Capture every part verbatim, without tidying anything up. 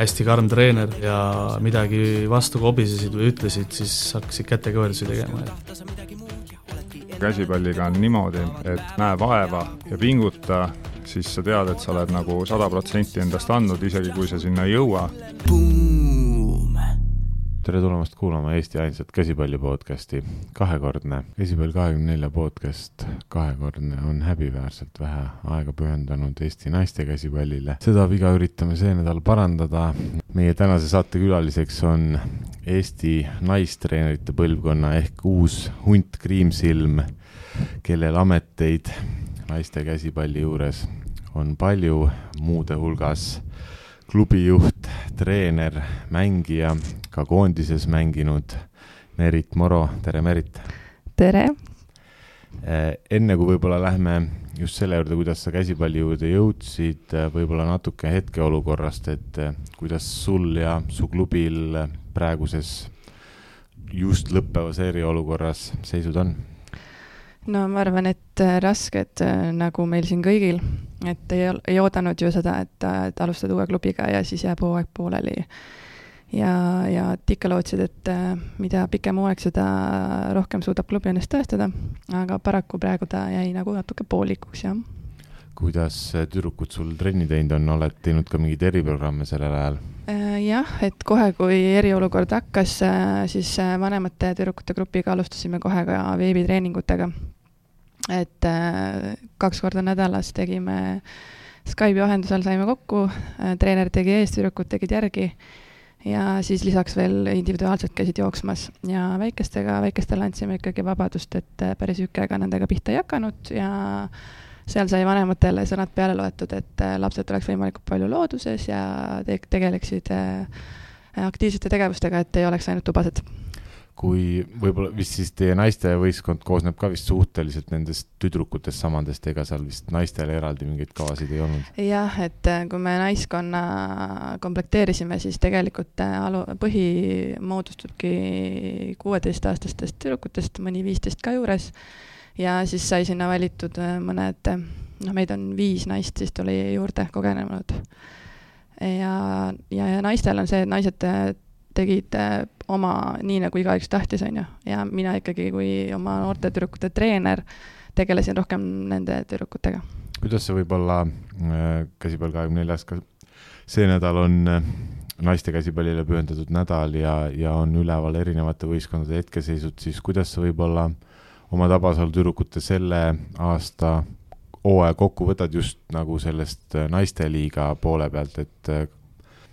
hästi karm treener ja midagi vastu kobisesid või ütlesid, siis hakkasid kätekõverdusi tegema. Käsipalliga on niimoodi, et näe vaeva ja pinguta, siis sa tead, et sa oled nagu sada protsenti endast andnud, isegi kui sa sinna ei jõua. Tere tulemast kuulama Eesti ainsat käsipalli podcasti. Kahekordne Käsipall kahekümne nelja podcast kahekordne on häbiväärselt vähe aega pühendanud Eesti naiste käsipallile. Seda viga üritame see nädal parandada. Meie tänase saate külaliseks on Eesti naistreenerite põlvkonna ehk uus hunt Kriimsilm, kellel ameteid naiste käsipalli juures on palju, muude hulgas klubijuht, treener, mängija, ka koondises mänginud Merit Moro. Tere, Merit! Tere! Enne kui võib-olla lähme just selle juurde, kuidas sa käsipalli juurde jõudsid, võib-olla natuke hetkeolukorrast, et kuidas sul ja su klubil praeguses just lõppevas eriolukorras seisud on? No ma arvan, et rasked nagu meil siin kõigil, et ei, ei oodanud ju seda, et, et alustad uue klubiga ja siis jääb hooaeg pooleli. Ja, ja ikka lootsid, et mida pikem hooaeg, seda rohkem suudab klubi ennast tõestada, aga paraku praegu ta jäi nagu natuke poolikuks. Ja. Kuidas tüdrukud sul trenni teinud on? Oled teinud ka mingid eriprogramme sellel ajal? Jah, et kohe kui eriolukord hakkas, siis vanemate tüdrukute grupiga alustasime kohe ka veebitreeningutega. Et kaks korda nädalas tegime Skype'i vahendusel, saime kokku, treener tegi ees, tüdrukud tegid järgi ja siis lisaks veel individuaalselt käisid jooksmas ja väikestega, väikestele andsime ikkagi vabadust, et päris ükega nendega pihta ei hakanud ja seal sai vanematele sõnad peale loetud, et lapsed oleks võimalikult palju looduses ja te- tegeleksid aktiivsete tegevustega, et ei oleks ainult tubased. Kui võib-olla vist siis teie naiste võistkond koosneb ka vist suhteliselt nendest tüdrukutest samadest, ega seal vist naistele eraldi mingeid kavasid ei olnud? Jah, et kui me naiskonna komplekteerisime, siis tegelikult alu, põhi moodustubki kuueteistaastastest tüdrukutest, mõni viisteist ka juures. Ja siis sai sinna valitud mõned, noh meid on viis naist, siis tuli juurde kogenenud. Ja, ja, ja naistel on see, et naised tegid oma nii nagu igaüks tahtis, on ju. Ja mina ikkagi kui oma noorte tüdrukute treener tegelesin rohkem nende tüdrukutega. Kuidas see võib-olla käsipall kahekümne neljas, ka see nädal on naiste käsipallile pühendatud nädal ja, ja on üleval erinevate võistkondade hetkeseisud, siis kuidas see võib-olla oma Tabasalu tüdrukute selle aasta hooaja kokku võtad just nagu sellest naisteliiga poole pealt, et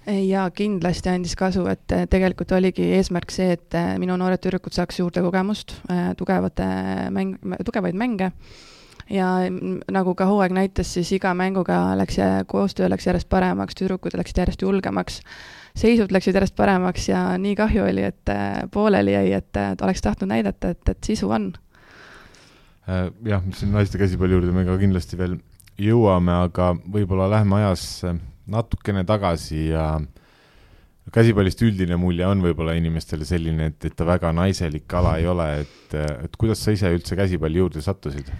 ja kindlasti andis kasu, et tegelikult oligi eesmärk see, et minu noored tüdrukud saaks juurde kogemust, tugevate mäng, tugevaid mänge ja nagu ka hooaeg näitas, siis iga mänguga läks ja koostöö läks järjest paremaks, tüdrukud läksid järjest julgemaks, seisud läksid järjest paremaks ja nii kahju oli, et pooleli jäi, et oleks tahtnud näidata, et, et sisu on. Jah, siin naiste käsipalli juurde me ka kindlasti veel jõuame, aga võib-olla lähme ajas natukene tagasi ja käsipallist üldine mulje on võib-olla inimestele selline, et, et ta väga naiselik ala ei ole, et, et kuidas sa ise üldse käsipalli juurde sattusid?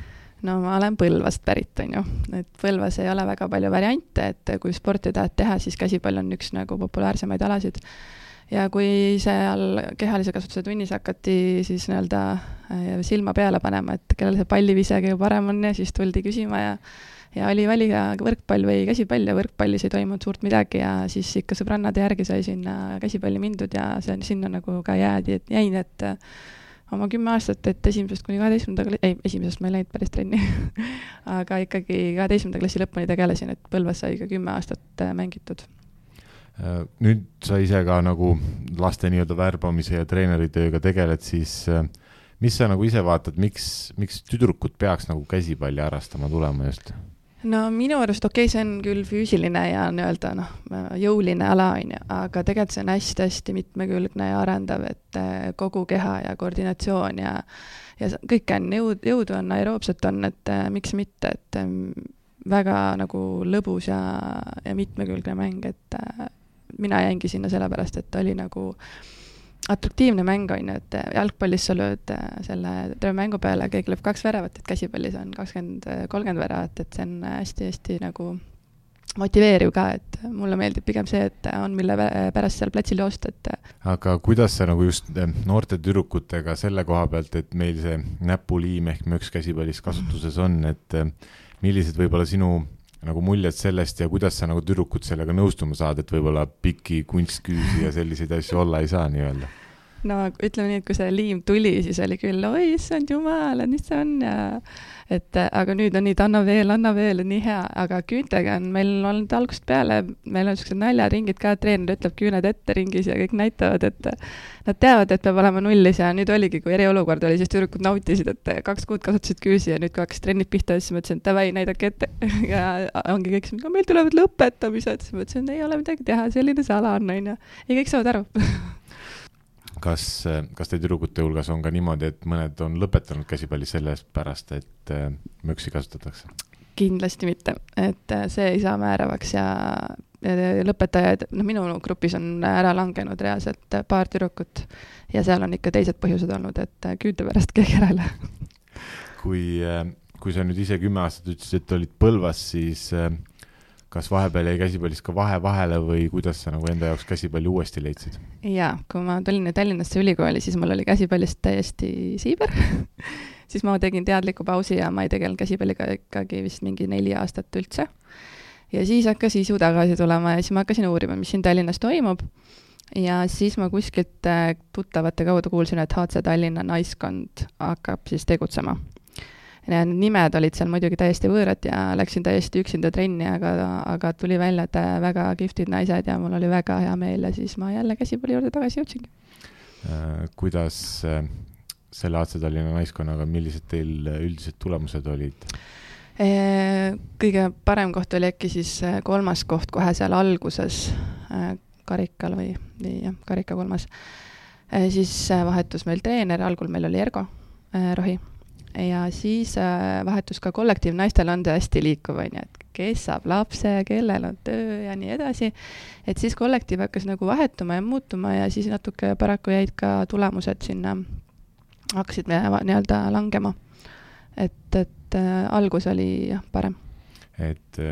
No ma olen Põlvast pärit, on ju. Et Põlvas ei ole väga palju variante, et kui sporti tahad teha, siis käsipall on üks nagu populaarsemaid alasid. Ja kui seal kehalise kasutuse tunnis hakati siis nii-öelda silma peale panema, et kellel see pallivise kõige parem on ja siis tuldi küsima ja Ja oli valiga võrkpall või käsipall ja võrkpallis ei toimunud suurt midagi ja siis ikka sõbrannade järgi sai sinna käsipalli mindud ja see on sinna nagu ka jäädi, et jäin, et oma kümme aastat, et esimesest kuni kaheteistkümnenda, ei, esimesest ma ei läinud päris trenni, aga ikkagi kaheteistkümnenda klassi lõpuni tegelesin, et Põlvas sai ka kümme aastat mängitud. Nüüd sa ise ka nagu laste nii-öelda värbamise ja treeneritööga tegeled, siis mis sa nagu ise vaatad, miks, miks tüdrukud peaks nagu käsipalli harrastama tulema just? No minu arust okei, okay, see on küll füüsiline ja nii-öelda no, jõuline ala, aga tegelikult see on hästi-hästi mitmekülgne ja arendav, et kogu keha ja koordinatsioon ja, ja kõik on jõud, jõudu on, aeroobset on, et miks mitte, et väga nagu lõbus ja, ja mitmekülgne mäng, et mina jäingi sinna sellepärast, et oli nagu atraktiivne mäng on, et jalgpallis sa lööd selle terve mängu peale, kõik lööb kaks väravat, et käsipallis on kakskümmend kolmkümmend väravat, et see on hästi-hästi nagu motiveeriv ka, et mulle meeldib pigem see, et on mille pärast seal platsil joosta, et aga kuidas sa nagu just noorte tüdrukutega selle koha pealt, et meil see näpuliim ehk möks käsipallis kasutuses on, et millised võib-olla sinu nagu muljed sellest ja kuidas sa nagu tüdrukud sellega nõustuma saad, et võib-olla piki kunstküüsi ja selliseid asju olla ei saa nii-öelda? No ütleme nii, et kui see liim tuli, siis oli küll, oi, issand jumal, et mis see on ja et aga nüüd on nii, et anna veel, anna veel, nii hea, aga küüntega on meil olnud algusest peale, meil on sellised naljaringid ka, treener ütleb küüned ette ringis ja kõik näitavad, et nad teavad, et peab olema nullis ja nüüd oligi, kui eriolukord oli, siis tüdrukud nautisid, et kaks kuud kasutasid küüsi ja nüüd kui hakkas trennid pihta, siis mõtlesin, et davai, näidake ette ja ongi kõik, meil tulevad lõpetamised, siis mõtlesin, ei ole midagi teha, selline see ala on, on ja kõik saavad aru. Kas, kas teie tüdrukute hulgas on ka niimoodi, et mõned on lõpetanud käsipalli sellest pärast, et möksi kasutatakse? Kindlasti mitte, et see ei saa määravaks ja lõpetajad, no minu grupis on ära langenud reaalselt paar tüdrukut ja seal on ikka teised põhjused olnud, et küünte pärast keegi järele. Kui, kui sa nüüd ise kümme aastat ütlesid, et olid Põlvas, siis kas vahepeal jäi käsipallis ka vahe vahele või kuidas sa nagu enda jaoks käsipalli uuesti leidsid? Jaa, kui ma tulin Tallinnasse ülikooli, siis mul oli käsipallist täiesti siiber. Siis ma tegin teadliku pausi ja ma ei tegelenud käsipalliga ikkagi vist mingi neli aastat üldse. Ja siis hakkas isu tagasi tulema ja siis ma hakkasin uurima, mis siin Tallinnas toimub. Ja siis ma kuskilt tuttavate kaudu kuulsin, et H C Tallinna naiskond hakkab siis tegutsema. Ja nimed olid seal muidugi täiesti võõrad ja läksin täiesti üksinda trenni, aga, aga tuli välja, et väga kihvtid naised ja mul oli väga hea meel ja siis ma jälle käsipalli juurde tagasi jõudsingi. Kuidas selle H C Tallinna naiskonnaga, millised teil üldised tulemused olid? Kõige parem koht oli äkki siis kolmas koht kohe seal alguses karikal või, või jah, karika kolmas. Siis vahetus meil treener, algul meil oli Ergo Rohi. Ja siis vahetus ka kollektiiv, naistel on hästi liikuv, et kes saab lapse, kellel on töö ja nii edasi. Et siis kollektiiv hakkas nagu vahetuma ja muutuma ja siis natuke paraku jäid ka tulemused sinna, hakkasid me nii-öelda langema. Et, et algus oli jah, parem. Et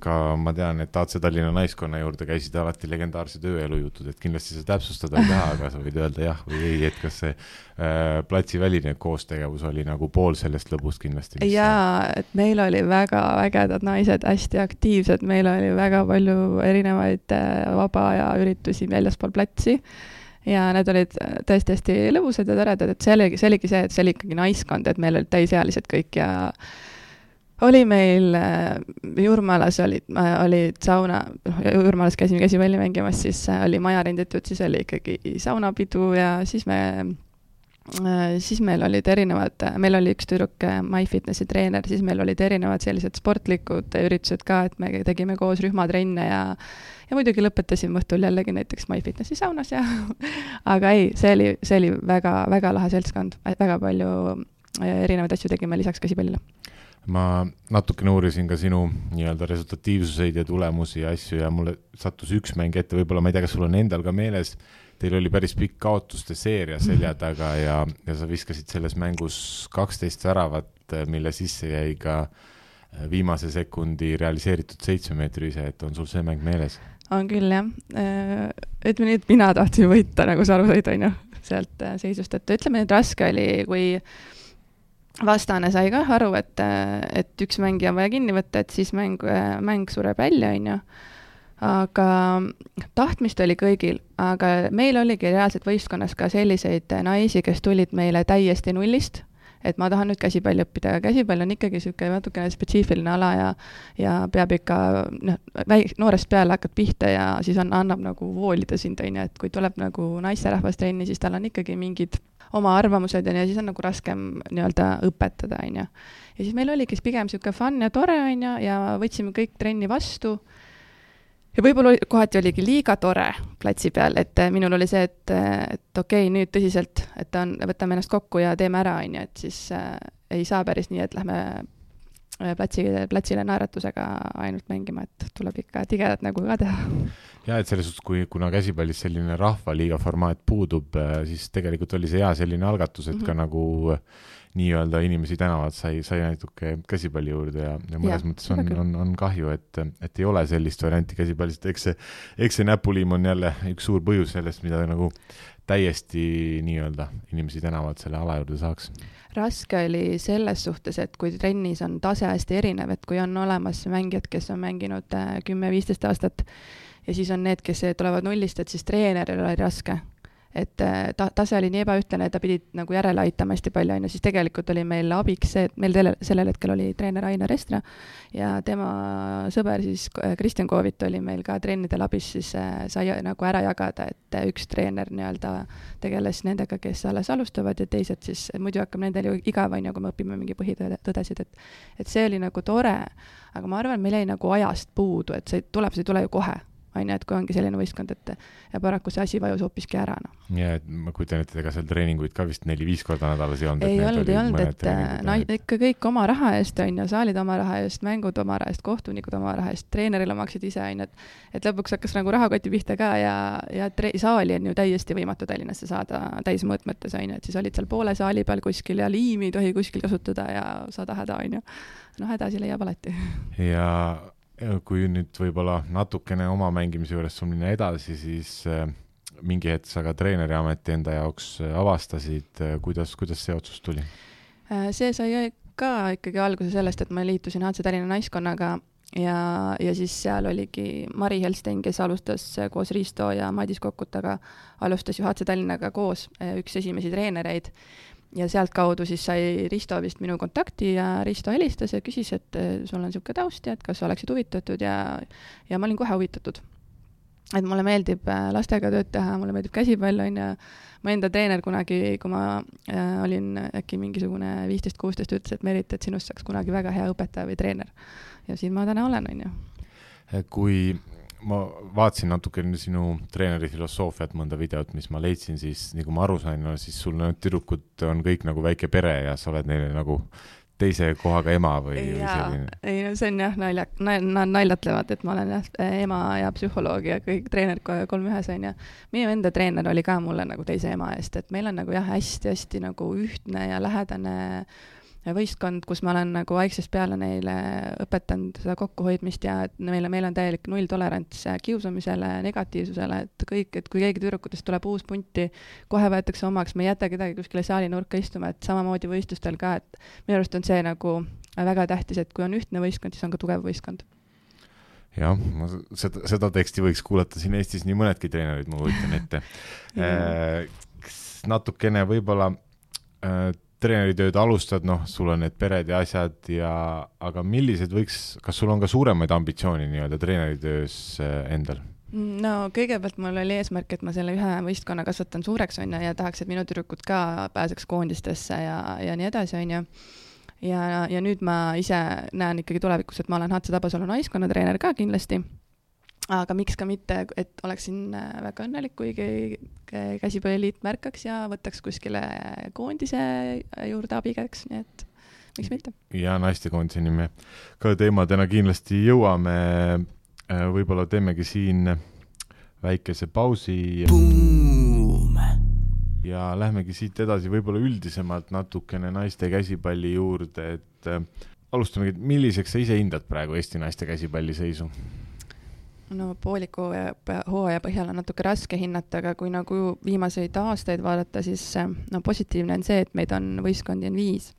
ka ma tean, et A C Tallinna naiskonna juurde käisid alati legendaarsed ööelujutud, et kindlasti see täpsustada ei taha, aga sa võid öelda jah või ei, et kas see äh, platsiväline koostegevus oli nagu pool sellest lõbust kindlasti? Jaa, et meil oli väga vägedad naised, hästi aktiivsed, meil oli väga palju erinevaid vaba aja üritusi väljaspool platsi ja need olid tõesti hästi lõbusad ja toredad, et see oligi, see oligi see, et see oli ikkagi naiskond, et meil olid täisealised kõik ja oli meil Jurmalas olid, olid sauna, Jurmalas käisime käsipalli mängimas, siis oli maja renditud, siis oli ikkagi saunapidu ja siis me siis meil olid erinevad, meil oli üks tüdruk MyFitnessi treener, siis meil olid erinevad sellised sportlikud üritused ka, et me tegime koos rühmatrenne ja ja muidugi lõpetasime õhtul jällegi näiteks MyFitnessi saunas ja aga ei, see oli, see oli väga, väga lahe seltskond, väga palju erinevaid asju tegime lisaks käsipallile. Ma natuke uurisin ka sinu nii-öelda resultatiivsuseid ja tulemusi ja asju ja mulle sattus üks mäng ette, võib-olla ma ei tea, kas sul on endal ka meeles, teil oli päris pikk kaotuste seeria selja taga ja, ja sa viskasid selles mängus kaksteist väravat, mille sisse jäi ka viimase sekundi realiseeritud seitsmemeetrise, et on sul see mäng meeles? On küll, jah. Ütleme nii, et mina tahtsin võita, nagu sa aru said, on ju, sealt seisust, et ütleme, et raske oli, kui vastane sai ka aru, et, et üks mängija on vaja kinni võtta, et siis mäng, mäng sureb välja, on ju. Aga tahtmist oli kõigil, aga meil oligi reaalselt võistkonnas ka selliseid naisi, kes tulid meile täiesti nullist, et ma tahan nüüd käsipalli õppida, aga käsipall on ikkagi siuke natukene spetsiifiline ala ja, ja peab ikka, noh, väik, noorest peale hakkad pihta ja siis on, annab nagu voolida sind, on ju, et kui tuleb nagu naisterahvast trenni, siis tal on ikkagi mingid oma arvamused ja siis on nagu raskem nii-öelda õpetada, on ju. Ja siis meil oligi pigem siuke fun ja tore, on ju, ja võtsime kõik trenni vastu. Ja võib-olla kohati oligi liiga tore platsi peal, et minul oli see, et, et okei, nüüd tõsiselt, et on, võtame ennast kokku ja teeme ära, on ju, et siis äh, ei saa päris nii, et lähme platsile, platsile naeratusega ainult mängima, et tuleb ikka tigedat nägu ka teha. Ja, et selles suhtes, kui, kuna käsipallis selline rahvaliiga formaat puudub, siis tegelikult oli see hea selline algatus, et mm-hmm. ka nagu nii-öelda inimesi tänavad sai, sai natuke käsipalli juurde ja, ja mõnes ja, mõttes on, on, on kahju, et, et ei ole sellist varianti käsipallist. Eks see, eks see näpuliim on jälle üks suur põhjus sellest, mida nagu täiesti nii-öelda inimesi tänavad selle ala juurde saaks. Raske oli selles suhtes, et kui trennis on tase hästi erinev, et kui on olemas mängijad, kes on mänginud kümme viisteist aastat ja siis on need, kes tulevad nullist, et siis treeneril oli raske. Et ta, tase oli nii ebaühtlane, et ta pidi nagu järele aitama hästi palju, ja siis tegelikult oli meil abiks see, et meil tele, sellel hetkel oli treener Ainer Estra ja tema sõber siis Kristjan Koovit oli meil ka treenidel abis, siis sai nagu ära jagada, et üks treener nii-öelda tegeles nendega, kes alles alustavad ja teised siis, muidu hakkab nendel ju igav on, kui me õpime mingi põhitõdesid, et, et see oli nagu tore, aga ma arvan, meil jäi nagu ajast puudu, et see tuleb, see ei tule ju kohe. Aine, et kui ongi selline võistkond, et ja paraku see asi vajus hoopiski ära. No. Ja, et ma kujutan, et ega seal treeninguid ka vist neli-viis korda nädalas ei olnud. Ei olnud, ei olnud, et na, ikka kõik oma raha eest on ja saalid oma raha eest, mängud oma raha eest, kohtunikud oma raha eest, treenerile maksid ise, on, et, et lõpuks hakkas nagu rahakoti pihta ka ja, ja tre, saali on ju täiesti võimatu Tallinnasse saada täismõõtmetes, on, et siis olid seal poole saali peal kuskil ja liimi ei tohi kuskil kasutada ja saada häda, on ju. No hädasi leiab alati. Ja kui nüüd võib-olla natukene oma mängimise juures sul minna edasi, siis äh, mingi hetk sa ka treeneri ameti enda jaoks avastasid, kuidas, kuidas see otsus tuli? See sai ka ikkagi alguse sellest, et ma liitusin H C Tallinna naiskonnaga ja, ja siis seal oligi Mari Helstein, kes alustas koos Risto ja Madis Kokkutaga, alustas ju H C Tallinnaga koos üks esimesi treenereid. Ja sealt kaudu siis sai Risto vist minu kontakti ja Risto helistas ja küsis, et sul on niisugune taust ja et kas oleksid huvitatud ja, ja ma olin kohe huvitatud. Et mulle meeldib lastega tööd teha, mulle meeldib käsipall on ja ma enda treener kunagi, kui ma äh, olin äkki mingisugune viisteist kuusteist ütles, et Merit, et sinust saaks kunagi väga hea õpetaja või treener. Ja siin ma täna olen, on ju. Kui ma vaatasin natuke sinu treeneri filosoofiat mõnda videot, mis ma leidsin, siis nii kui ma aru sain, no, siis sul need tüdrukud on kõik nagu väike pere ja sa oled neile nagu teise kohaga ema või, või selline? Ei, no see on jah, nalja, nad naljatlevad, et ma olen jah, ema ja psühholoog ja kõik treenerid kolm ühes on ja meie enda treener oli ka mulle nagu teise ema eest, et meil on nagu jah, hästi-hästi nagu ühtne ja lähedane võistkond, kus ma olen nagu vaiksest peale neile õpetanud seda kokkuhoidmist ja et meile, meil on täielik null tolerants kiusamisele, negatiivsusele, et kõik, et kui keegi tüdrukutest tuleb uus punti, kohe võetakse omaks, me ei jäta kedagi kuskile saali nurka istuma, et samamoodi võistlustel ka, et minu arust on see nagu väga tähtis, et kui on ühtne võistkond, siis on ka tugev võistkond. Jah, ma seda, seda teksti võiks kuulata siin Eestis nii mõnedki treenerid, ma võitan ette. Natukene võib-olla treeneritööd alustad, noh, sul on need pered ja asjad, ja, aga millised võiks, kas sul on ka suuremaid ambitsiooni nii-öelda treeneritöös endal? No kõigepealt mul oli eesmärk, et ma selle ühe võistkonna kasvatan suureks on ja tahaks, et minu tüdrukud ka pääseks koondistesse ja, ja nii edasi on ja ja, ja nüüd ma ise näen ikkagi tulevikus, et ma olen H C Tabasalu naiskonna treener ka kindlasti. Aga miks ka mitte, et oleksin väga õnnelik, kui käsipalliliit märkaks ja võtaks kuskile koondise juurde abikäeks, nii et miks mitte. Ja naistekoondise nime ka teemadena kindlasti jõuame, võib-olla teemegi siin väikese pausi Boom. Ja lähmegi siit edasi võib-olla üldisemalt natukene naiste käsipalli juurde, et alustamegi, milliseks sa ise hindad praegu Eesti naiste käsipalli seisu? No pooliku hooaja põhjal on natuke raske hinnata, aga kui nagu viimaseid aastaid vaadata, siis no, positiivne on see, et meid on võistkondi on viis.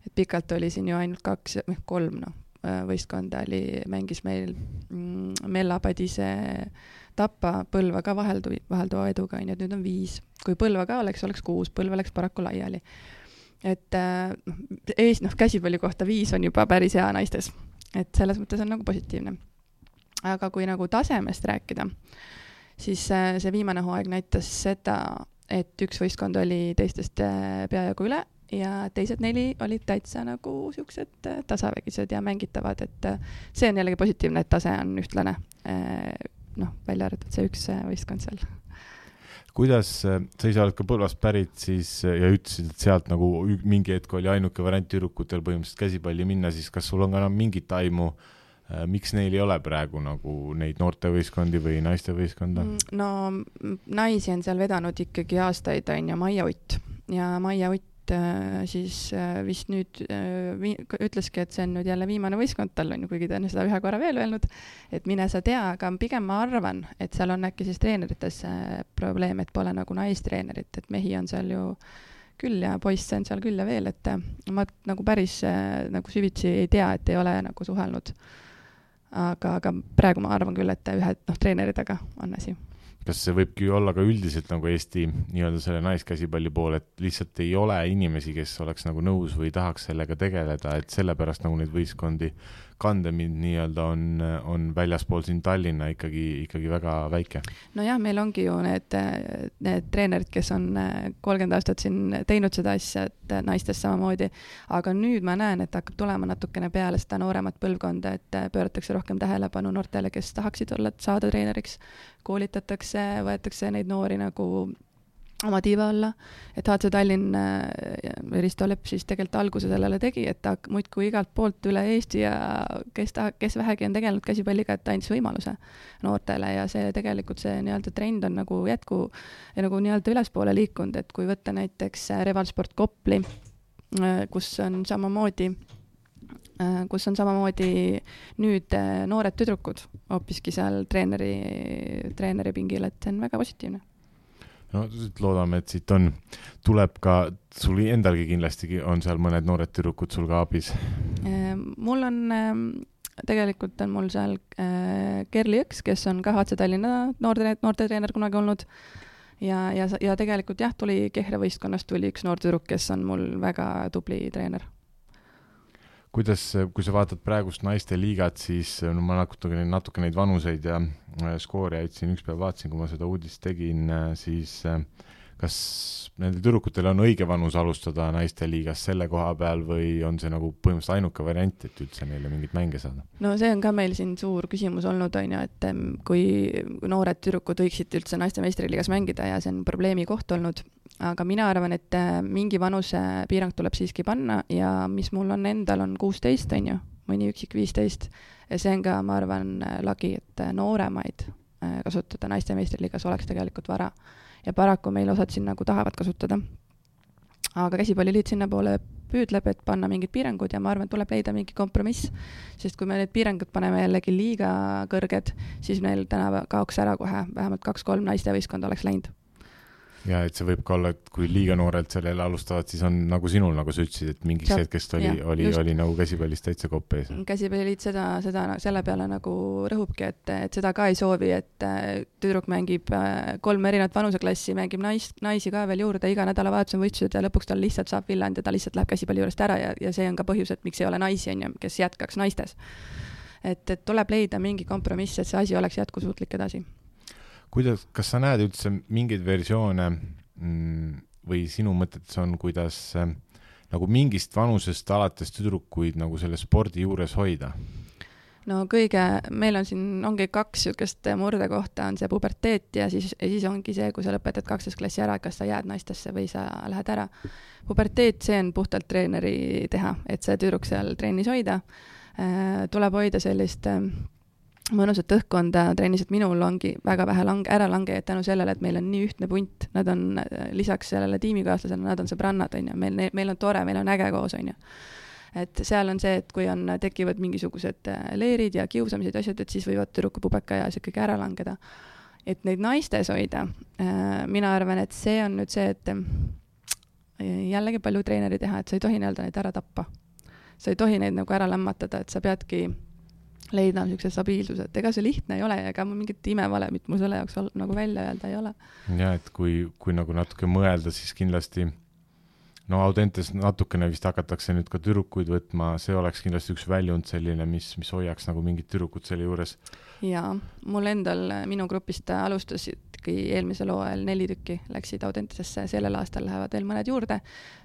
Et pikalt oli siin ju ainult kaks, kolm no, võistkonda oli, mängis meil mm, Mella Padise Tapa, Põlva ka vaheldu, vahelduva eduga, nii et nüüd on viis. Kui Põlva ka oleks, oleks kuus, Põlva oleks paraku laiali. Et äh, ees, noh, käsipalli kohta viis on juba päris hea naistes. Et selles mõttes on nagu positiivne. Aga kui nagu tasemest rääkida, siis see viimane hooaeg näitas seda, et üks võistkond oli teistest peajagu üle ja teised neli olid täitsa nagu siuksed tasavägised ja mängitavad, et see on jällegi positiivne, et tase on ühtlane, noh, välja arvatud see üks võistkond seal. kuidas, sa ise oled ka Põlvast pärit siis ja ütlesid, et sealt nagu mingi hetk oli ainuke variant tüdrukutel põhimõtteliselt käsipalli minna, siis kas sul on ka mingit aimu, miks neil ei ole praegu nagu neid noortevõistkondi või naistevõistkonda? No naisi on seal vedanud ikkagi aastaid, on ja Maia Utt ja Maia Utt siis vist nüüd ütleski, et see on nüüd jälle viimane võistkond tal on ju, kuigi ta on seda ühe korra veel öelnud, et mine sa tea, aga pigem ma arvan, et seal on äkki siis treenerites probleem, et pole nagu naistreenerit, et mehi on seal ju küll ja poisse on seal küll ja veel, et ma nagu päris nagu süvitsi ei tea, et ei ole nagu suhelnud. Aga, aga praegu ma arvan küll, et ühe noh, treeneridega on asi. Kas see võibki olla ka üldiselt nagu Eesti nii-öelda selle naiskäsipalli pool, et lihtsalt ei ole inimesi, kes oleks nagu nõus või tahaks sellega tegeleda, et sellepärast nagu neid võistkondi kandemind nii-öelda on, on väljaspool siin Tallinna ikkagi, ikkagi väga väike? No jah, meil ongi ju need, need treenerid, kes on kolmkümmend aastat siin teinud seda asja, et naistes samamoodi, aga nüüd ma näen, et hakkab tulema natukene peale seda nooremat põlvkonda, et pööratakse rohkem tähelepanu noortele, kes tahaksid olla, saada treeneriks, koolitatakse, võetakse neid noori nagu oma tiiva alla, et H C Tallinn Risto Lepp siis tegelikult alguse sellele tegi, et ta muidku igalt poolt üle Eesti ja kes, ta, kes vähegi on tegelenud käsipalliga, et ta andis võimaluse noortele ja see tegelikult see nii-öelda trend on nagu jätku ja nagu nii-öelda ülespoole liikunud, et kui võtta näiteks Revalsport Kopli, kus on samamoodi kus on samamoodi nüüd noored tüdrukud hoopiski seal treeneri, treeneri pingil, et see on väga positiivne. No loodame, et siit on, tuleb ka, sul endalgi kindlasti on seal mõned noored tüdrukud sul ka abis? Mul on, tegelikult on mul seal Kerli Jõks, kes on ka H C Tallinna noorte, noorte treener kunagi olnud ja, ja, ja tegelikult jah, tuli Kehre võistkonnast tuli üks noor tüdruk, kes on mul väga tubli treener. Kuidas, kui sa vaatad praegust naiste liigat, siis no ma natuke, natuke neid vanuseid ja skooriaid siin üks päev vaatasin, kui ma seda uudist tegin, siis kas nendel tüdrukutel on õige vanus alustada naiste liigas selle koha peal või on see nagu põhimõtteliselt ainuke variant, et üldse neile mingit mänge saada? No see on ka meil siin suur küsimus olnud, on ju, et kui noored tüdrukud võiksid üldse naiste meistriliigas mängida ja see on probleemi koht olnud, aga mina arvan, et mingi vanuse piirang tuleb siiski panna ja mis mul on endal on kuusteist, on ju, mõni üksik viisteist ja see on ka, ma arvan, lagi, et nooremaid kasutada naiste meistriliigas oleks tegelikult vara ja paraku meil osad siin nagu tahavad kasutada. Aga käsipalliliit sinna poole püüdleb, et panna mingid piirangud ja ma arvan, et tuleb leida mingi kompromiss, sest kui me need piirangud paneme jällegi liiga kõrged, siis meil täna kaoks ära kohe, vähemalt kaks-kolm naiste võistkonda oleks läinud. Ja et see võib ka olla, et kui liiga noorelt sellele alustavad, siis on nagu sinul, nagu sa ütlesid, et mingiks hetkest oli, ja, oli, oli nagu käsipallist täitsa kopp ees. Käsipalliliit seda, seda selle peale nagu rõhubki, et, et seda ka ei soovi, et tüdruk mängib kolm erinevat vanuseklassi, mängib nais, naisi ka veel juurde, iga nädalavahetus on võistlused ja lõpuks tal lihtsalt saab villand ja ta lihtsalt läheb käsipalli juurest ära ja, ja see on ka põhjus, et miks ei ole naisi, on ju, kes jätkaks naistes. Et, et tuleb leida mingi kompromiss, et see asi oleks jätkusuutlik edasi. Kuidas, kas sa näed üldse mingeid versioone või sinu mõtetes on, kuidas nagu mingist vanusest alates tüdrukuid nagu selle spordi juures hoida? No kõige, meil on siin, ongi kaks sükest murde kohta, on see puberteet ja siis, ja siis ongi see, kui sa lõpetad kaksteist klassi ära, kas sa jääd naistesse või sa lähed ära. Puberteet, see on puhtalt treeneri teha, et see tüdruk seal trennis hoida. Tuleb hoida sellist mõnusat õhkkonda trennis, et minul ongi väga vähe lang- ära langejaid tänu sellele, et meil on nii ühtne punt, nad on lisaks sellele tiimikaaslasele, nad on sõbrannad, on ju, meil, meil on tore, meil on äge koos, on ju. Et seal on see, et kui on, tekivad mingisugused leerid ja kiusamised ja asjad, et siis võivad tüdruku pubeka ja see kõik ära langeda. Et neid naistes hoida, mina arvan, et see on nüüd see, et jällegi palju treeneri teha, et sa ei tohi nii-öelda neid ära tappa. Sa ei tohi neid nagu ära lämmatada, et sa peadki leida niisuguse stabiilsuse, et ega see lihtne ei ole ja ega mul mingit imevalemit mul selle jaoks nagu välja öelda ei ole. Ja, et kui, kui nagu natuke mõelda, siis kindlasti no Audentes natukene vist hakatakse nüüd ka tüdrukuid võtma, see oleks kindlasti üks väljund selline, mis, mis hoiaks nagu mingid tüdrukud selle juures. Jaa, mul endal minu grupist alustasidki eelmisel hooajal neli tükki, läksid Audentesesse, sellel aastal lähevad veel mõned juurde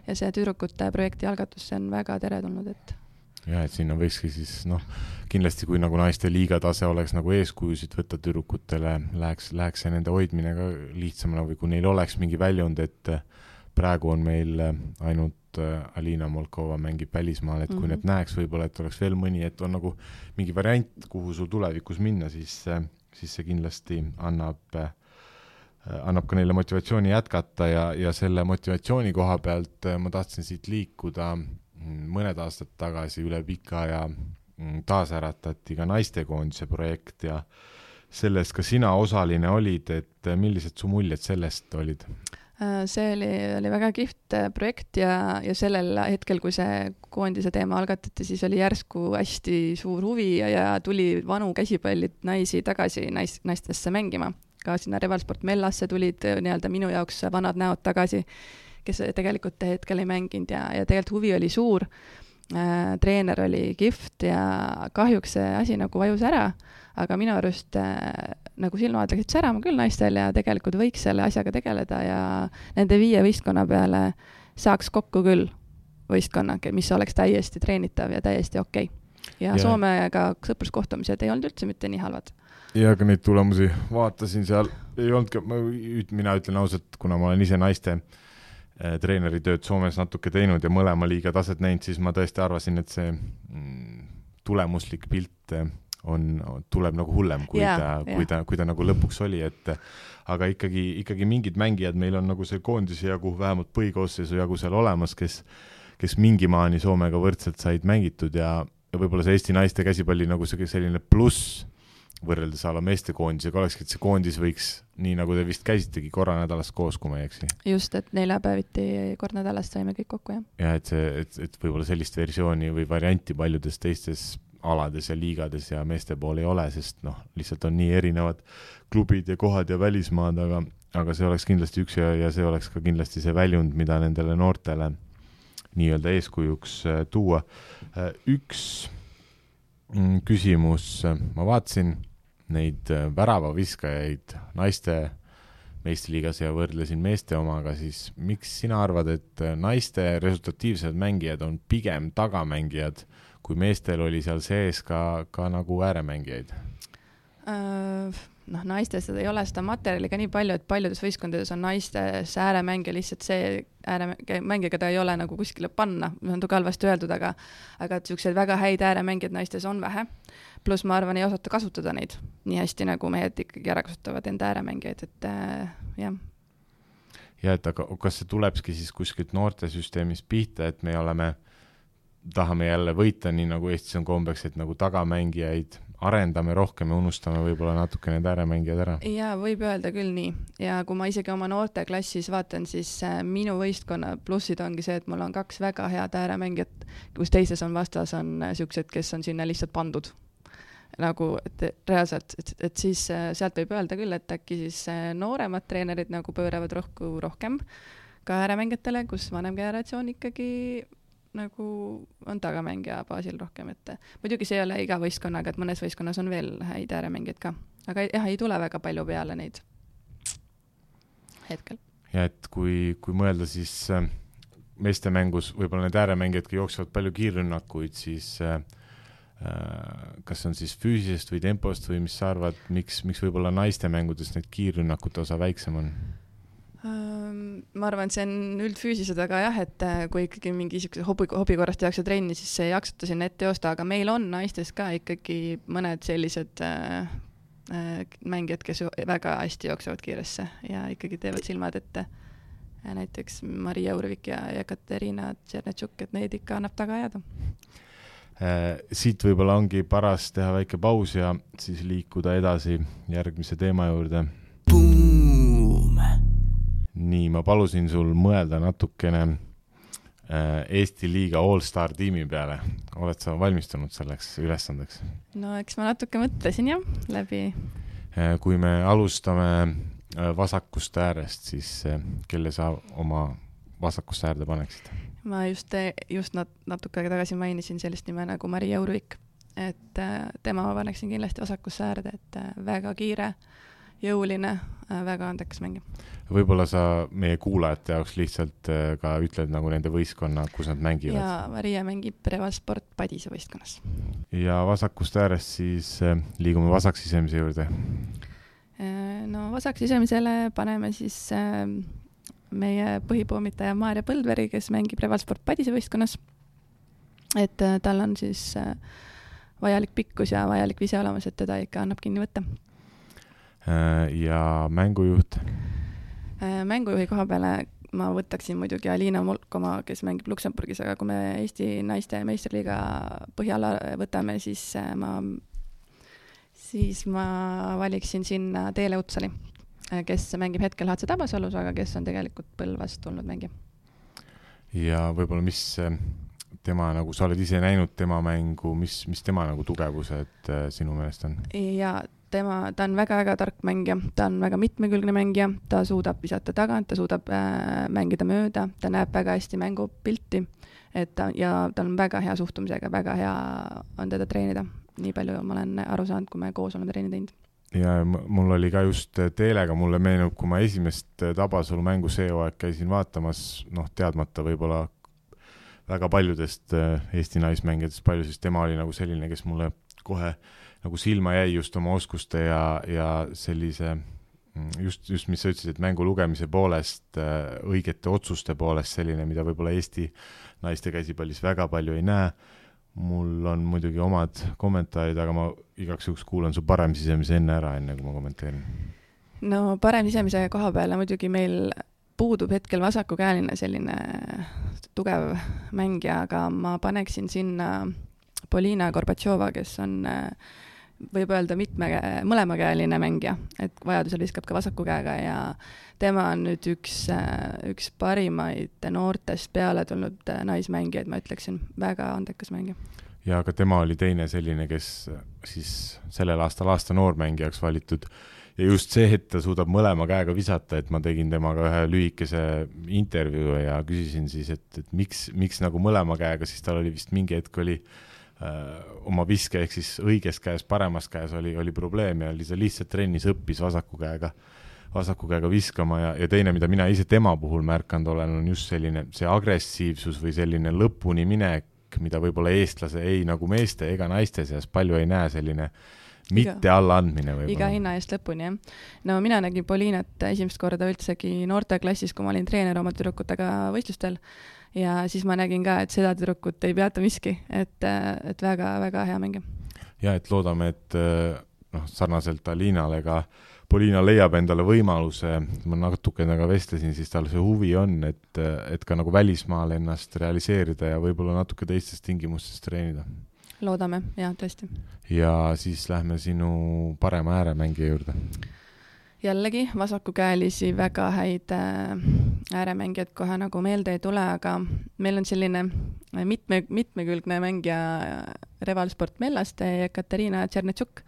ja see tüdrukute projekti algatus on väga teretulnud, et ja, et sinna võikski siis, noh, kindlasti kui nagu naiste liiga tase oleks nagu eeskujusid võtta tüdrukutele, läheks, läheks see nende hoidmine ka lihtsamana või kui neil oleks mingi väljund, et praegu on meil ainult Alina Molkova mängib välismaal, et kui mm-hmm. need näeks võib-olla, et oleks veel mõni, et on nagu mingi variant, kuhu sul tulevikus minna, siis, siis see kindlasti annab, annab ka neile motivatsiooni jätkata ja, ja selle motivatsiooni koha pealt ma tahtsin siit liikuda mõned aastad tagasi üle pika ja taasäratati ka naistekoondise projekt ja sellest ka sina osaline olid, et millised su muljed sellest olid? See oli, oli väga kihvt projekt ja, ja sellel hetkel, kui see koondise teema algatati, siis oli järsku hästi suur huvi ja, ja tuli vanu käsipallid naisi tagasi nais, naistesse mängima. Ka sinna Revalsport Mellasse tulid nii-öelda minu jaoks vanad näod tagasi, kes tegelikult hetkel ei mänginud ja, ja tegelikult huvi oli suur. Äh, treener oli kihvt ja kahjuks see asi nagu vajus ära, aga minu arust äh, nagu silmad läksid särama küll naistel ja tegelikult võiks selle asjaga tegeleda ja nende viie võistkonna peale saaks kokku küll võistkonna, mis oleks täiesti treenitav ja täiesti okei. Ja, ja Soomega sõpruskohtumised ei olnud üldse mitte nii halvad. Ja ka neid tulemusi vaatasin seal, ei olnud, mina ütlen ausalt, kuna ma olen ise naiste treeneritööd Soomes natuke teinud ja mõlema liiga taset näinud, siis ma tõesti arvasin, et see tulemuslik pilt on, tuleb nagu hullem, kui, yeah, ta, yeah. kui, ta, kui ta nagu lõpuks oli, et aga ikkagi, ikkagi mingid mängijad meil on nagu see koondise jagu, vähemalt põhikoosseisu jagu seal olemas, kes, kes mingi maani Soomega võrdselt said mängitud ja, ja võib-olla see Eesti naiste käsipalli nagu see selline pluss võrreldes ala meeste koondisega olekski, et see koondis võiks, nii nagu te vist käisitegi korra nädalast koos, kui ma ei eksi. Just, et neljapäeviti kord nädalast saime kõik kokku, jah. Ja, et, see, et, et võib-olla sellist versiooni või varianti paljudes teistes alades ja liigades ja meeste pool ei ole, sest noh, lihtsalt on nii erinevad klubid ja kohad ja välismaad, aga, aga see oleks kindlasti üks ja, ja see oleks ka kindlasti see väljund, mida nendele noortele nii-öelda eeskujuks tuua. Üks küsimus, ma vaatasin neid väravaviskajaid naiste meistriliigas ja võrdlesin meeste omaga, siis miks sina arvad, et naiste resultatiivsed mängijad on pigem tagamängijad, kui meestel oli seal sees ka, ka nagu ääremängijaid? Noh, naistes ei ole seda materjali ka nii palju, et paljudes võistkondades on naistes ääremängija lihtsalt see ääremängija, keda ei ole nagu kuskile panna, on tu halvasti öeldud, aga, aga et selliseid väga häid ääremängijad naistes on vähe. Plus ma arvan, ei osata kasutada neid nii hästi, nagu mehed ikkagi ära kasutavad enda ääremängijaid, et äh, jah. Ja, et aga kas see tulebski siis kuskilt noortesüsteemis pihta, et me oleme, tahame jälle võita nii nagu Eestis on kombeks, et nagu tagamängijaid arendame rohkem ja unustame võib-olla natuke need ääremängijad ära. Ja võib öelda küll nii. Ja kui ma isegi oma noorte klassis vaatan, siis minu võistkonna plussid ongi see, et mul on kaks väga head ääremängijat, kus teises on vastas on siuksed, kes on sinna lihtsalt pandud. Nagu, et reaalselt, et, et siis sealt võib öelda küll, et äkki siis nooremad treenerid nagu pööravad rohku rohkem ka ääremängijatele, kus vanem generatsioon ikkagi nagu on tagamängija baasil rohkem, et muidugi see ei ole iga võistkonnaga, et mõnes võistkonnas on veel häid ääremängijad ka, aga jah, ei tule väga palju peale neid hetkel. Ja et kui, kui mõelda siis meeste mängus, võib-olla need ääremängijad jooksevad palju kiirrünnakuid, siis äh, kas on siis füüsisest või tempost või mis sa arvad, miks, miks võib-olla naiste mängudes need kiirrünnakute osa väiksem on? Ma arvan, et see on üldfüüsised, aga jah, et kui ikkagi mingi hobi, hobi korrast tehakse trenni, siis see jaksata sinna ette joosta, aga meil on naistes ka ikkagi mõned sellised äh, mängijad, kes väga hästi jooksevad kiiresse ja ikkagi teevad silmad ette. Näiteks Maria Urvik ja Ekaterina Tšernetšuk, et neid ikka annab taga ajada. Siit võib-olla ongi paras teha väike paus ja siis liikuda edasi järgmise teema juurde. Nii, ma palusin sul mõelda natukene Eesti liiga All-Star tiimi peale. Oled sa valmistunud selleks ülesandeks? No eks ma natuke mõtlesin jah, läbi. Kui me alustame vasakust äärest, siis kelle sa oma vasakust äärde paneksid? Ma just, just nat- natuke tagasi mainisin sellist nime nagu Maria Urvik, et tema ma paneksin kindlasti vasakusse äärde, et väga kiire jõuline, väga andekas mängija. Võib-olla sa meie kuulajate jaoks lihtsalt ka ütled nagu nende võistkonna, kus nad mängivad. Ja Maria mängib Revalsport Padise võistkonnas. Ja vasakust äärest siis liigume vasaksisemise juurde. No vasaksisemisele paneme siis meie põhipoomitaja Maarja Põldveri, kes mängib Revalsport Padise võistkonnas. Et tal on siis vajalik pikkus ja vajalik vise olemas, et teda ikka annab kinni võtta. Ja mängujuht? Mängujuhi koha peale ma võtaksin muidugi Alina Molkoma, kes mängib Luksemburgis, aga kui me Eesti naiste meistriliiga põhjala võtame, siis ma, siis ma valiksin sinna Teele Utsali, kes mängib hetkel H C Tabasalus, aga kes on tegelikult Põlvast tulnud mängija. Ja võib-olla mis tema, nagu sa oled ise näinud tema mängu, mis, mis tema nagu tugevused sinu meelest on? Ja tema, ta on väga-väga tark mängija, ta on väga mitmekülgne mängija, ta suudab visata tagant, ta suudab äh, mängida mööda, ta näeb väga hästi mängupilti, et ta, ja ta on väga hea suhtumisega, väga hea on teda treenida. Nii palju ma olen aru saanud, kui me koos oleme treeni teinud. Ja mul oli ka just Teelega, mulle meenub, kui ma esimest Tabasalu mängu see hooaeg käisin vaatamas, noh, teadmata võib-olla väga paljudest Eesti naismängijatest palju, siis tema oli nagu selline, kes mulle kohe nagu silma jäi just oma oskuste ja, ja sellise, just, just mis sa ütlesid, et mängu lugemise poolest, õigete otsuste poolest selline, mida võib-olla Eesti naiste käsipallis väga palju ei näe. Mul on muidugi omad kommentaarid, aga ma igaks juhuks kuulan su parem sisemise enne ära, enne kui ma kommenteerin. No parem sisemise koha peale muidugi meil puudub hetkel vasakukäeline selline tugev mängija, aga ma paneksin sinna Polina Gorbatšova, kes on võib öelda mitme, mõlemakäeline mängija, et vajadusel viskab ka vasaku käega ja tema on nüüd üks, üks parimaid noortest peale tulnud naismängijaid, ma ütleksin, väga andekas mängija. Ja aga tema oli teine selline, kes siis sellel aastal aasta noormängijaks valitud ja just see, et ta suudab mõlema käega visata, et ma tegin temaga ühe lühikese intervjuu ja küsisin siis, et, et miks, miks nagu mõlema käega, siis tal oli vist mingi hetk oli oma viske ehk siis õiges käes, paremas käes oli, oli probleem ja ta lihtsalt trennis õppis vasaku käega, vasaku käega viskama ja, ja teine, mida mina ise tema puhul märkanud olen, on just selline see agressiivsus või selline lõpuni minek, mida võib-olla eestlase ei nagu meeste ega naiste seas palju ei näe, selline mitte alla andmine võib-olla. Iga hinna eest lõpuni, jah. No mina nägin Polinat esimest korda üldsegi noorteklassis, kui ma olin treener oma tüdrukutega võistlustel ja siis ma nägin ka, et seda tüdrukut ei peata miski, et, et väga, väga hea mängija. Ja et loodame, et noh, sarnaselt Alinale ka Polina leiab endale võimaluse, ma natuke nagu vestlesin, siis tal see huvi on, et, et ka nagu välismaal ennast realiseerida ja võib-olla natuke teistes tingimustes treenida. Loodame, jah, tõesti. Ja siis lähme sinu parema ääremängija juurde. Jällegi vasakukäelisi väga häid ääremängijad kohe nagu meelde ei tule, aga meil on selline mitme, mitmekülgne mängija Revalsport Mellaste ja Katarina Tšernetšuk,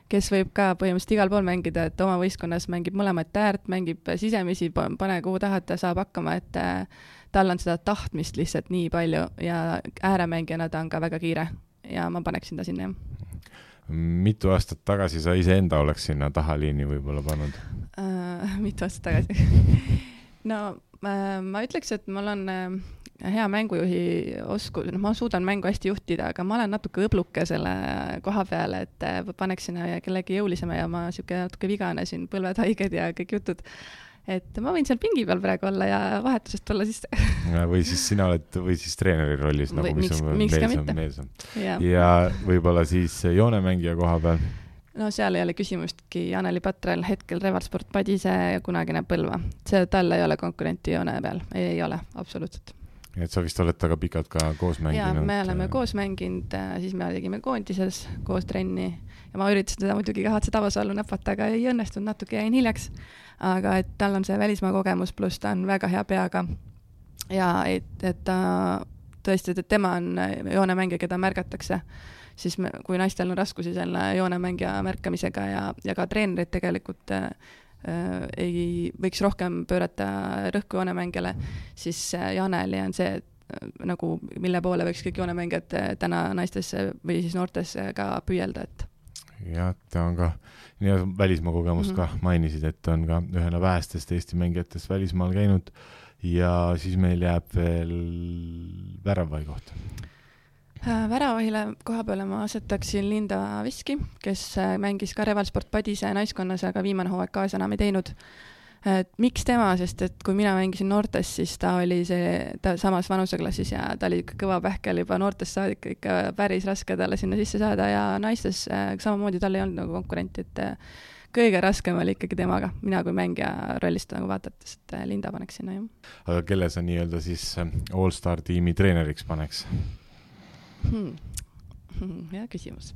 kes võib ka põhimõtteliselt igal pool mängida, et oma võistkonnas mängib mõlemat äärt, mängib sisemisi, pane kuhu tahad, ta saab hakkama, et tal on seda tahtmist lihtsalt nii palju ja ääremängijana ta on ka väga kiire ja ma paneksin ta sinna, jah. Mitu aastat tagasi sa ise enda oleks sinna tahaliini võib-olla pannud? Uh, mitu aastat tagasi? No uh, ma ütleks, et mul on uh, hea mängujuhi oskus, no ma suudan mängu hästi juhtida, aga ma olen natuke õbluke selle koha peale, et uh, paneksin kellegi jõulisema ja ma siuke natuke vigane siin, põlved haiged ja kõik jutud. Et ma võin seal pingi peal praegu olla ja vahetusest tulla sisse. Või siis sina oled, või siis treeneri rollis, nagu või, mis miks, on miks meelsam, meelsam. Ja. ja võib-olla siis joonemängija koha peal? No seal ei ole küsimustki Anneli Patrel, hetkel Revalsport Padise ja kunagine Põlva. See tal ei ole konkurenti joone peal, ei, ei ole, absoluutselt. Et sa vist oled taga pikalt ka koos mänginud? Ja, me oleme koos mänginud, siis me tegime koondises koos trenni ja ma üritasin teda muidugi ka H C Tabasalu näpata, aga ei õnnestunud, natuke jäin hiljaks. Aga et tal on see välismaa kogemus, pluss ta on väga hea peaga ja et, et ta tõesti, et tema on joonemängija, keda märgatakse, siis me, kui naistel on raskusi selle joonemängija märkamisega ja, ja ka treenerid tegelikult äh, ei võiks rohkem pöörata rõhku joonemängijale, siis Janeli on see, et nagu mille poole võiks kõik joonemängijad täna naistesse või siis noortesse ka püüelda, et ja ta on ka, nii välismaa kogemus mm -hmm. ka mainisid, et on ka ühena vähestest Eesti mängijatest välismaal käinud ja siis meil jääb veel väravai kohta. Väravahile koha peale ma asetaksin Linda Viski, kes mängis ka Revalsport Padise naiskonnas, aga viimane hooaeg kaasa enam ei teinud. Et miks tema, sest et kui mina mängisin noortes, siis ta oli see, ta samas vanuseklassis ja ta oli ikka kõva pähkel juba noortest saadik, ikka päris raske talle sinna sisse saada ja naistes samamoodi tal ei olnud nagu konkurenti, et kõige raskem oli ikkagi temaga, mina kui mängija rollist nagu vaadates, et Linda paneks sinna ju. Aga kelle sa nii-öelda siis All-Star tiimi treeneriks paneks? Hmm. Hea küsimus.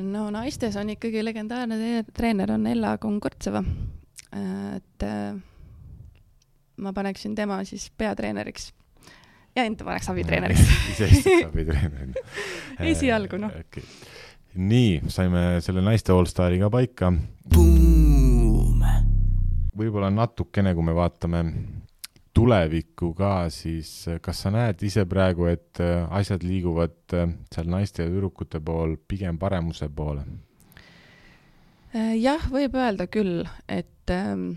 No naistes on ikkagi legendaarne treener on Ella Konkurtseva, et ma paneksin tema siis peatreeneriks ja enda paneks abitreeneriks. Ise istud abitreeneriks. Esialgu, noh. Okay. Nii, saime selle naiste All-Stari ka paika. Võib-olla natukene, kui me vaatame tulevikku ka, siis kas sa näed ise praegu, et asjad liiguvad seal naiste ja tüdrukute pool pigem paremuse poole? Jah, võib öelda küll, et ähm,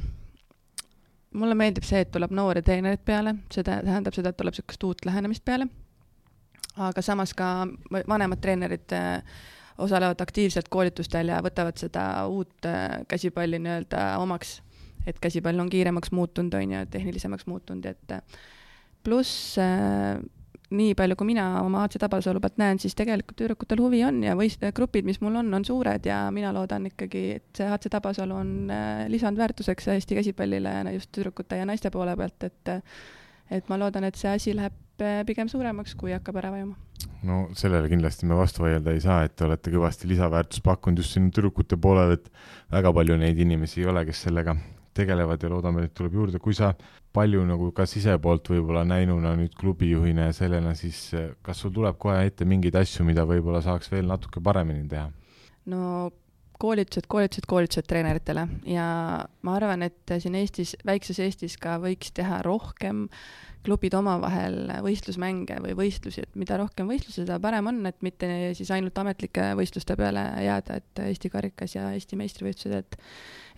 mulle meeldib see, et tuleb noori treenerid peale, see tähendab seda, et tuleb sellist uut lähenemist peale, aga samas ka vanemad treenerid äh, osalevad aktiivselt koolitustel ja võtavad seda uut äh, käsipalli nii-öelda omaks, et käsipall on kiiremaks muutunud on ja tehnilisemaks muutunud, et pluss äh, nii palju, kui mina oma A C Tabasalu pealt näen, siis tegelikult tüdrukutel huvi on ja võist, grupid, mis mul on, on suured ja mina loodan ikkagi, et see A C Tabasalu on äh, lisandväärtuseks Eesti käsipallile just tüdrukute ja naiste poole pealt, et, et ma loodan, et see asi läheb pigem suuremaks, kui hakkab ära vajuma. No sellele kindlasti me vastu vaielda ei saa, et te olete kõvasti lisaväärtus pakkunud just sinu tüdrukute poolel, et väga palju neid inimesi ei ole, kes sellega tegelevad ja loodame, et tuleb juurde. Kui sa palju nagu ka sisepoolt võib-olla näinuna nüüd klubijuhina ja sellena, siis kas sul tuleb kohe ette mingeid asju, mida võib-olla saaks veel natuke paremini teha? No koolitused, koolitused, koolitused treeneritele ja ma arvan, et siin Eestis, väikses Eestis ka võiks teha rohkem klubid omavahel võistlusmänge või võistlusi, et mida rohkem võistlusi, seda parem on, et mitte siis ainult ametlike võistluste peale jääda, et Eesti karikas ja Eesti meistrivõistlused, et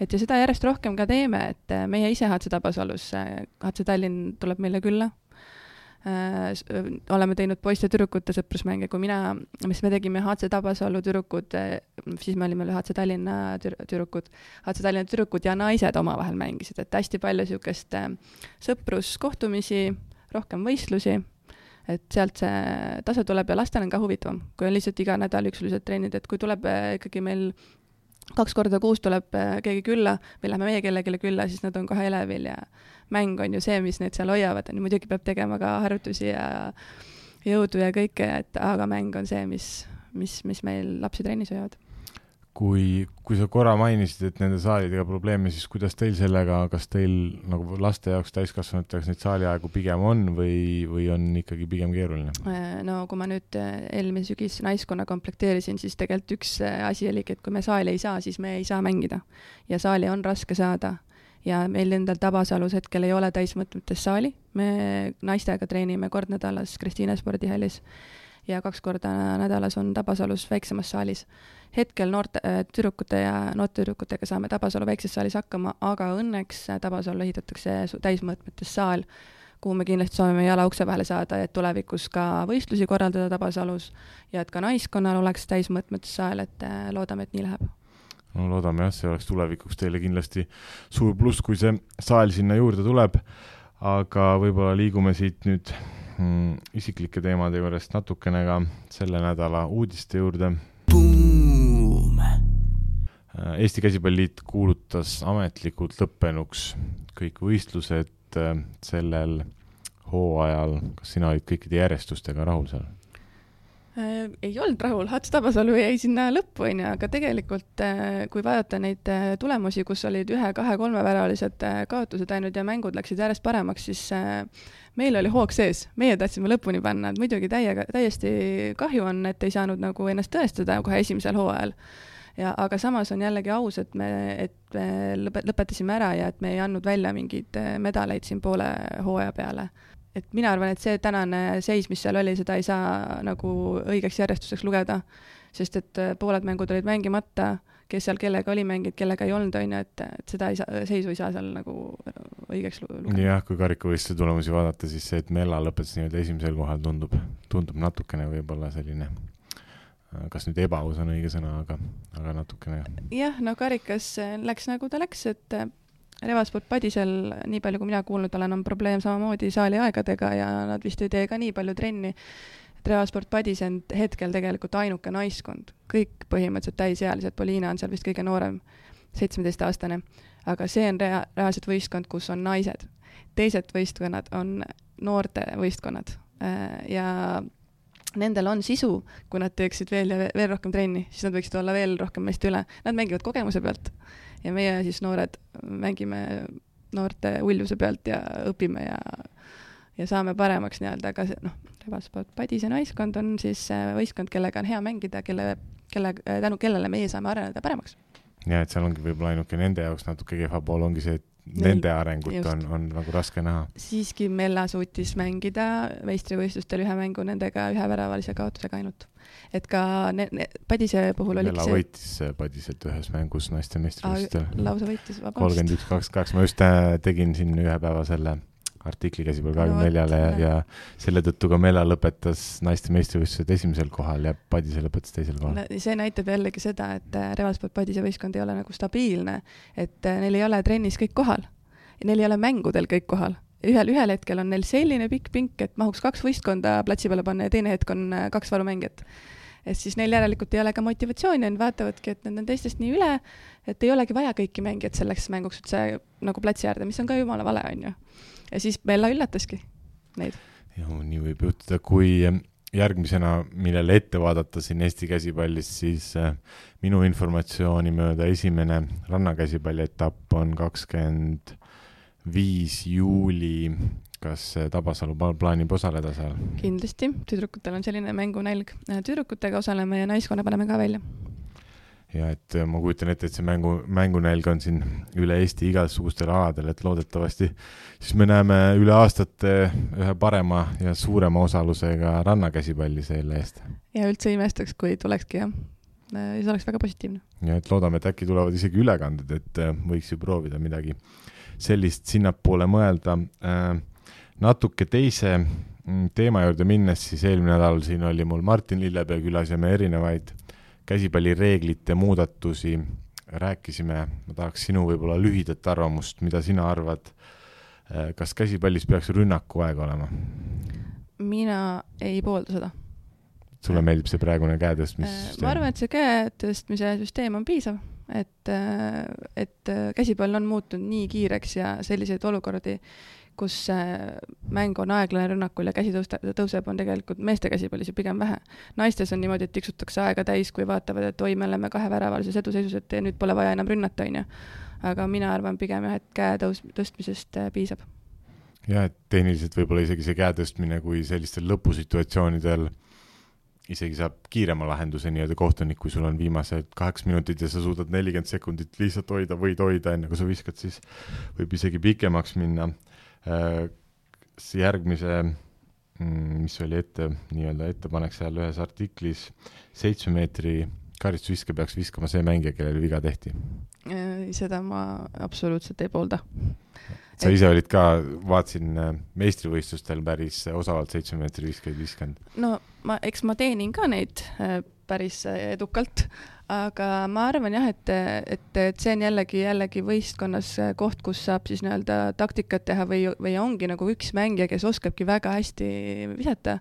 et ja seda järjest rohkem ka teeme, et meie ise H C Tabasalus, H C Tallinn tuleb meile külla, äh, oleme teinud poiste tüdrukute sõprusmänge, kui mina, mis me tegime H C Tabasalu tüdrukud, siis me olime H C Tallinna tüdrukud, H C Tallinna tüdrukud ja naised omavahel mängisid, et hästi palju niisugust sõpruskohtumisi, rohkem võistlusi, et sealt see tase tuleb ja lastel on ka huvitavam, kui on lihtsalt iga nädal üksulised treenid, et kui tuleb ikkagi meil kaks korda kuus tuleb keegi külla või lähme meie kellelegi külla, siis nad on kohe elevil ja mäng on ju see, mis need seal hoiavad. Muidugi peab tegema ka harjutusi ja jõudu ja kõike, et aga mäng on see, mis, mis, mis meil lapsi trennis hoiavad. Kui, kui sa korra mainisid, et nende saalidega probleeme, siis kuidas teil sellega, kas teil nagu laste jaoks täiskasvanuteks neid saaliaegu pigem on või, või on ikkagi pigem keeruline? No kui ma nüüd eelmine sügis naiskonna komplekteerisin, siis tegelikult üks asi oligi, et kui me saali ei saa, siis me ei saa mängida. Ja saali on raske saada. Ja meil endal Tabasalus hetkel ei ole täismõtmetes saali. Me naistega treenime kord nädalas Kristiine spordihallis ja kaks korda nädalas on Tabasalus väiksemas saalis. Hetkel noorte tüdrukute ja noorte tüdrukutega saame Tabasalu väikses saalis hakkama, aga õnneks Tabasalu ehitatakse täismõõtmetes saal, kuhu me kindlasti soovime jala ukse vahele saada, et tulevikus ka võistlusi korraldada Tabasalus ja et ka naiskonnal oleks täismõõtmetes saal, et loodame, et nii läheb. No loodame jah, see oleks tulevikuks teile kindlasti suur pluss, kui see saal sinna juurde tuleb, aga võib-olla liigume siit nüüd mm, isiklike teemade juurest natukene ka selle nädala uudiste juurde. Eesti Käsipalliliit kuulutas ametlikult lõppenuks kõik võistlused sellel hooajal. Kas sina olid kõikide järjestustega rahul seal? Ei olnud rahul, H C Tabasalu jäi sinna lõppu, aga tegelikult kui vaadata neid tulemusi, kus olid ühe, kahe, kolme väralised kaotused ainult ja mängud läksid järjest paremaks, siis meil oli hoog sees, meie tahtsime lõpuni panna, et muidugi täiega, täiesti kahju on, et ei saanud nagu ennast tõestada kohe esimesel hooajal. Ja, aga samas on jällegi aus, et me, et me lõpetasime ära ja et me ei andnud välja mingeid medaleid siin poole hooaja peale. Et mina arvan, et see tänane seis, mis seal oli, seda ei saa nagu õigeks järjestuseks lugeda. sest et pooled mängud olid mängimata, kes seal kellega oli mänginud, kellega ei olnud, on ju, et, et seda ei saa, seisu ei saa seal nagu õigeks lugeda. Jah, kui karikavõistluse tulemusi vaadata, siis see, et Mella lõpetas nii-öelda esimesel kohal tundub, tundub natukene võib-olla selline, kas nüüd ebaaus on õige sõna, aga, aga natukene. Jah, no karikas läks nagu ta läks, et Revasport Padisel, nii palju kui mina kuulnud olen, on probleem samamoodi saali aegadega ja nad vist ei tee ka nii palju trenni. Revasport Padis on hetkel tegelikult ainuke naiskond. Kõik põhimõtteliselt täisealised, Poliina on seal vist kõige noorem, seitsmeteistaastane, aga see on rea- reaalselt võistkond, kus on naised. Teised võistkonnad on noorte võistkonnad ja nendel on sisu, kui nad teeksid veel ja veel rohkem trenni, siis nad võiksid olla veel rohkem meist üle. Nad mängivad kogemuse pealt ja meie siis noored mängime noorte uljuse pealt ja õpime ja ja saame paremaks nii-öelda, aga noh, Revasport Padise naiskond on siis võistkond, kellega on hea mängida, kelle, kelle, tänu kellele meie saame areneda paremaks. Ja, et seal ongi võib-olla ainuke nende jaoks natuke kehva pool ongi see, et nende arengut on, on nagu raske näha. Siiski Mella suutis mängida meistrivõistlustel ühe mängu nendega ühe väravalise kaotusega ainult. Et ka ne, ne, Padise puhul oli Mella see... võitis Padiselt ühes mängus naiste meistrivõistlustel. Lausa võitis, vabast. kolmkümmend üks kakskümmend kaks, ma just tegin siin ühe päeva selle artikli käsipäeval kahekümne neljale no, ja, ja selle tõttu ka Mella lõpetas naiste meistrivõistlused esimesel kohal ja Padise lõpetas teisel kohal. No, see näitab jällegi seda, et Revasport Padise võistkond ei ole nagu stabiilne, et neil ei ole trennis kõik kohal ja neil ei ole mängudel kõik kohal. Ühel, ühel hetkel on neil selline pikk pink, et mahuks kaks võistkonda platsi peale panna ja teine hetk on kaks varumängijat. Et siis neil järelikult ei ole ka motivatsiooni, nad vaatavadki, et need on teistest nii üle, et ei olegi vaja kõiki mängijad selleks mänguks, et see nagu platsi äärde, mis on ka jumala vale, on ju. Ja siis Mella üllataski neid. Ja, nii võib juhtuda, kui järgmisena, millele ette vaadata siin Eesti käsipallis, siis minu informatsiooni mööda esimene rannakäsipalli etapp on kakskümmend viis juuli. Kas Tabasalu plaanib osaleda seal? Kindlasti. Tüdrukutel on selline mängunälg. Tüdrukutega osaleme ja naiskonna paneme ka välja. Ja et ma kujutan ette, et see mängu, mängunälg on siin üle Eesti igasugustel aladel, et loodetavasti siis me näeme üle aastate ühe parema ja suurema osalusega rannakäsipalli selle eest. Ja üldse imestaks, kui tulekski, jah. See oleks väga positiivne. Ja et loodame, et äkki tulevad isegi ülekanded, et võiks ju proovida midagi sellist sinnapoole mõelda. Natuke teise teema juurde minnes, siis eelmine nädal siin oli mul Martin Lillepea külas ja me erinevaid käsipallireeglite muudatusi rääkisime. Ma tahaks sinu võib-olla lühidat arvamust, mida sina arvad, kas käsipallis peaks rünnaku aeg olema? Mina ei poolda seda. Sulle meeldib see praegune käetõstmise süsteem? Ma arvan, et see käetõstmise süsteem on piisav, et, et käsipall on muutunud nii kiireks ja selliseid olukordi, kus mäng on aeglane rünnakul ja käsi tõuseb, on tegelikult meeste käsipallis ju pigem vähe. Naistes on niimoodi, et tiksutakse aega täis, kui vaatavad, et oi, me oleme kahe väravalises eduseisus, et nüüd pole vaja enam rünnata, on ju. Aga mina arvan pigem, jah, et käe tõus, tõstmisest piisab. Ja, et tehniliselt võib-olla isegi see käe tõstmine, kui sellistel lõpusituatsioonidel isegi saab kiirema lahenduse nii-öelda kohtunik, kui sul on viimased kaheks minutid ja sa suudad nelikümmend sekundit lihtsalt hoida, võid hoida, enne kui sa viskad, siis võib isegi pikemaks minna. Järgmise, mis oli ette, nii-öelda ettepanek seal ühes artiklis, seitsme meetri karistusviske peaks viskama see mängija, kellele viga tehti. Seda ma absoluutselt ei poolda. Sa ise olid ka, vaatsin meistrivõistlustel päris osavalt seitsme meetri viskeid viskanud. No ma, eks ma teenin ka neid päris edukalt, aga ma arvan jah, et, et, et see on jällegi, jällegi võistkonnas koht, kus saab siis nii-öelda taktikat teha või, või ongi nagu üks mängija, kes oskabki väga hästi visata,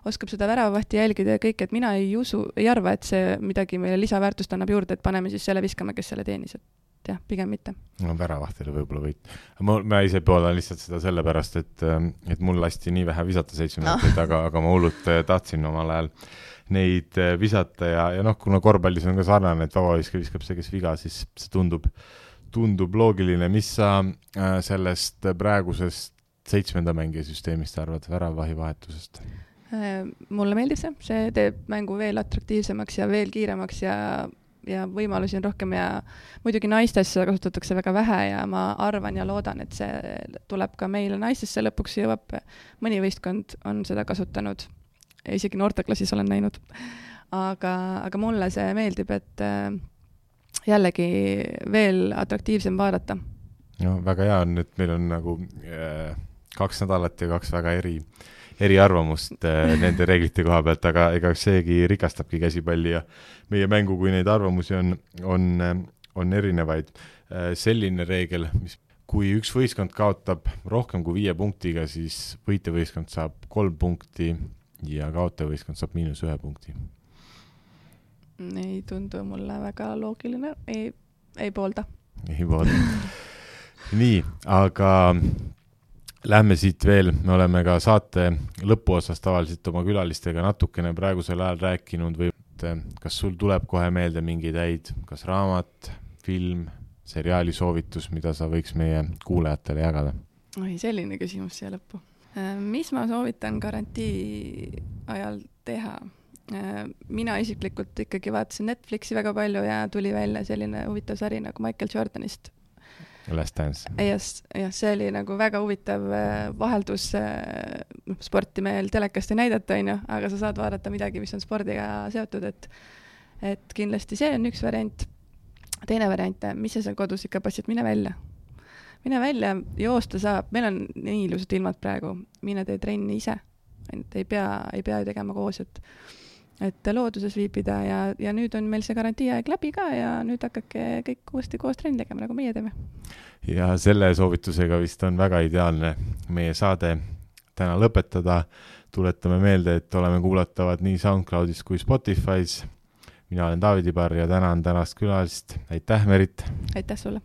oskab seda väravahti jälgida ja kõik, et mina ei usu, ei arva, et see midagi meile lisaväärtust annab juurde, et paneme siis selle viskama, kes selle teenis, et jah, pigem mitte. No väravahtile võib-olla võit. Ma, ma ise poolan lihtsalt seda sellepärast, et, et mul lasti nii vähe visata seitsme meetrit, aga, aga ma hullult tahtsin omal ajal neid visata ja, ja noh, kuna korvpallis on ka sarnane, et vabaviske viskab see, kes viga, siis see tundub, tundub loogiline. Mis sa sellest praegusest seitsmenda mängija süsteemist arvad, väravahi vahetusest? Mulle meeldib see, see teeb mängu veel atraktiivsemaks ja veel kiiremaks ja, ja võimalusi on rohkem ja muidugi naistes kasutatakse väga vähe ja ma arvan ja loodan, et see tuleb ka meile naistesse lõpuks jõuab. Mõni võistkond on seda kasutanud. Isegi noorteklassis olen näinud. aga, aga mulle see meeldib, et jällegi veel atraktiivsem vaadata. No väga hea on, et meil on nagu äh, kaks nädalat ja kaks väga eri, eri arvamust äh, nende reeglite koha pealt, aga ega seegi rikastabki käsipalli ja meie mängu, kui neid arvamusi on, on, on erinevaid. Äh, selline reegel, mis kui üks võistkond kaotab rohkem kui viie punktiga, siis võitjavõistkond saab kolm punkti ja kaotajavõistkond saab miinus ühe punkti. Ei tundu mulle väga loogiline, ei, ei poolda. Ei poolda. Nii, aga lähme siit veel, me oleme ka saate lõpuosas tavaliselt oma külalistega natukene praegusel ajal rääkinud või kas sul tuleb kohe meelde mingeid häid, kas raamat, film, seriaali soovitus, mida sa võiks meie kuulajatele jagada? Oi, selline küsimus siia lõppu. Mis ma soovitan garantii ajal teha? Mina isiklikult ikkagi vaatasin Netflixi väga palju ja tuli välja selline huvitav sari nagu Michael Jordanist. Last Dance. Yes, ja see oli nagu väga huvitav vaheldus sporti meil telekast ei näidata, aga sa saad vaadata midagi, mis on spordiga seotud, et, et kindlasti see on üks variant. Teine variant, mis sa seal kodus ikka passid, mine välja. Mine välja, joosta saab, meil on nii ilusad ilmad praegu, mine tee trenni ise, ei pea, ei pea ju tegema koos, et et looduses viibida ja, ja nüüd on meil see garantiiaeg läbi ka ja nüüd hakake kõik uuesti koos trenni tegema, nagu meie teeme. Ja selle soovitusega vist on väga ideaalne meie saade täna lõpetada. Tuletame meelde, et oleme kuulatavad nii SoundCloudis kui Spotify's. Mina olen David Ibar ja tänan tänast külalist. Aitäh, Merit! Aitäh sulle!